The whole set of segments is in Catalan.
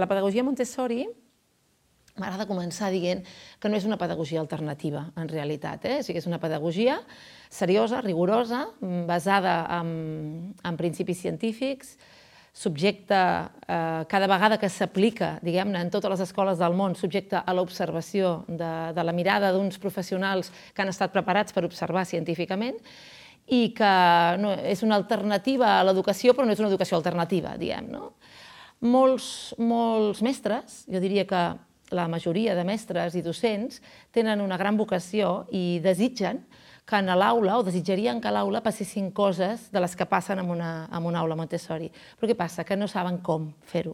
la pedagogia Montessori m'agrada començar dient que no és una pedagogia alternativa, en realitat. O sigui, és una pedagogia seriosa, rigorosa, basada en principis científics, subjecta, cada vegada que s'aplica, diguem-ne, en totes les escoles del món, subjecta a l'observació de la mirada d'uns professionals que han estat preparats per observar científicament i que és una alternativa a l'educació, però no és una educació alternativa, diguem, no? Molts mestres, jo diria que la majoria de mestres i docents tenen una gran vocació i desitgen que en l'aula, o desitjarien que a l'aula passessin coses de les que passen en una aula Montessori. Però què passa? Que no saben com fer-ho.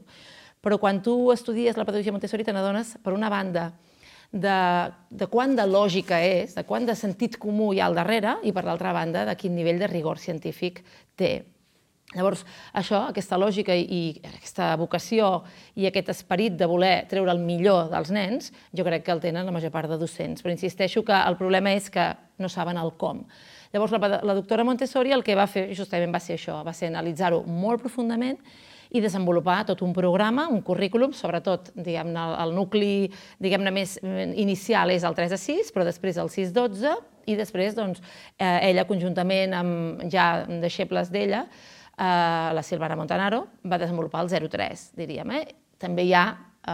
Però quan tu estudies la pedagogia Montessori te n'adones, per una banda, de quant de lògica és, de quant de sentit comú hi ha al darrere, i per l'altra banda, de quin nivell de rigor científic té. Llavors, això, aquesta lògica i aquesta vocació i aquest esperit de voler treure el millor dels nens, jo crec que el tenen la major part de docents. Però insisteixo que el problema és que no saben el com. Llavors, la doctora Montessori el que va fer justament va ser això, va ser analitzar-ho molt profundament i desenvolupar tot un programa, un currículum, sobretot, diguem-ne, el nucli, diguem-ne, més inicial és el 3 a 6, però després el 6 a 12, i després, doncs, ella, conjuntament amb ja deixebles d'ella, la Silvana Montanaro, va desenvolupar el 0 a 3, diríem. També hi ha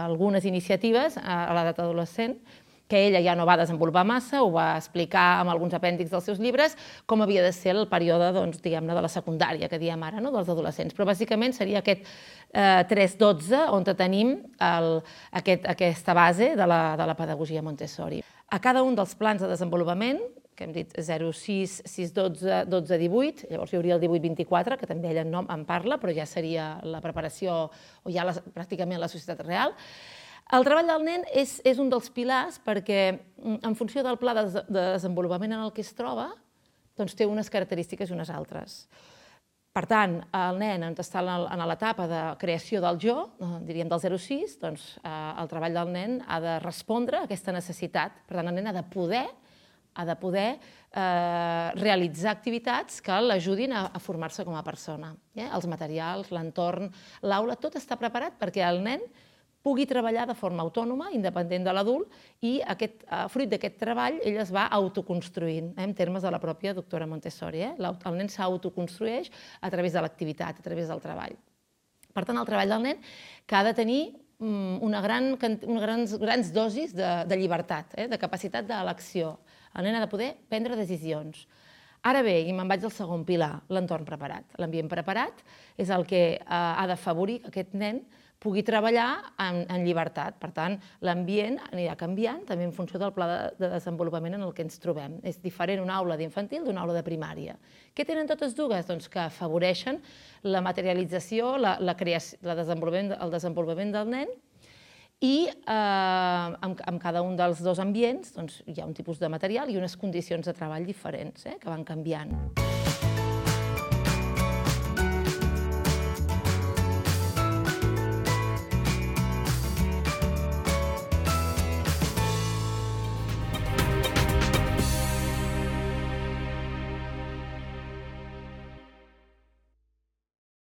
algunes iniciatives a l'edat adolescent que ella ja no va desenvolupar massa, ho va explicar amb alguns apèndixs dels seus llibres, com havia de ser el període, diguem-ne, de la secundària, que diem ara, dels adolescents. Però bàsicament seria aquest 3-12 on tenim aquesta base de la pedagogia Montessori. A cada un dels plans de desenvolupament, que hem dit 0-6, 6-12, 12-18, llavors hi hauria el 18-24, que també ella en parla, però ja seria la preparació, o ja pràcticament la societat real. El treball del nen és un dels pilars perquè, en funció del pla de desenvolupament en el que es troba, doncs té unes característiques i unes altres. Per tant, el nen, on està en l'etapa de creació del jo, diríem del 0-6, doncs el treball del nen ha de respondre a aquesta necessitat. Per tant, el nen ha de poder realitzar activitats que l'ajudin a formar-se com a persona. Els materials, l'entorn, l'aula, tot està preparat perquè el nen pugui treballar de forma autònoma, independent de l'adult, i fruit d'aquest treball ell es va autoconstruint, en termes de la pròpia doctora Montessori. El nen s'autoconstrueix a través de l'activitat, a través del treball. Per tant, el treball del nen que ha de tenir unes grans dosis de llibertat, de capacitat d'elecció. El nen ha de poder prendre decisions. Ara bé, i me'n vaig al segon pilar, l'entorn preparat. L'ambient preparat és el que ha d'afavorir que aquest nen pugui treballar en llibertat. Per tant, l'ambient anirà canviant també en funció del pla de desenvolupament en el que ens trobem. És diferent una aula d'infantil d'una aula de primària. Què tenen totes dues? Doncs que afavoreixen la materialització, el desenvolupament del nen, i en cada un dels dos ambients hi ha un tipus de material i unes condicions de treball diferents que van canviant.